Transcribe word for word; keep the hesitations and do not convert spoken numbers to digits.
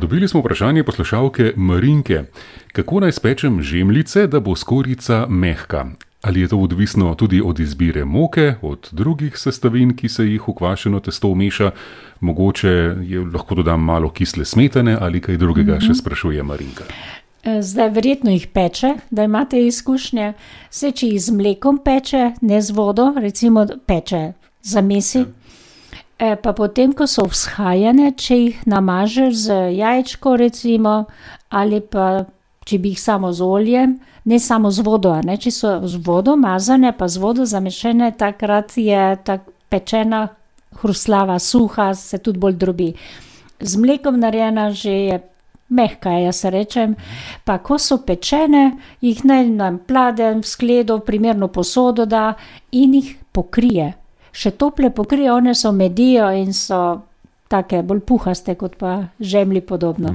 Dobili smo vprašanje poslušalke Marinke. Kako naj spečem žemljice, da bo skorjica mehka? Ali je to odvisno tudi od izbire moke, od drugih sestavin, ki se jih v kvašeno testo vmeša? Mogoče je, lahko dodam malo kisle smetane ali kaj drugega, mm-hmm. še sprašuje Marinka. Zdaj verjetno jih peče, da imate izkušnje. Vse, če jih z mlekom peče, ne z vodo, recimo peče zamesi. Ja. E, pa potem, ko so vzhajane, če jih namažeš z jajčko recimo, ali pa če bi jih samo z oljem, ne samo z vodo, ne? Če so z vodo mazane, pa z vodo zamešene, takrat je ta pečena hrustljava, suha, se tudi bolj drobi. Z mlekom narejena že je mehka, jaz rečem, pa ko so pečene, jih naj na pladenj, v skledo, primerno posodo da in jih pokrije. Še tople pokrije, one so medijo in so take bolj puhaste, kot pa žemlji podobno.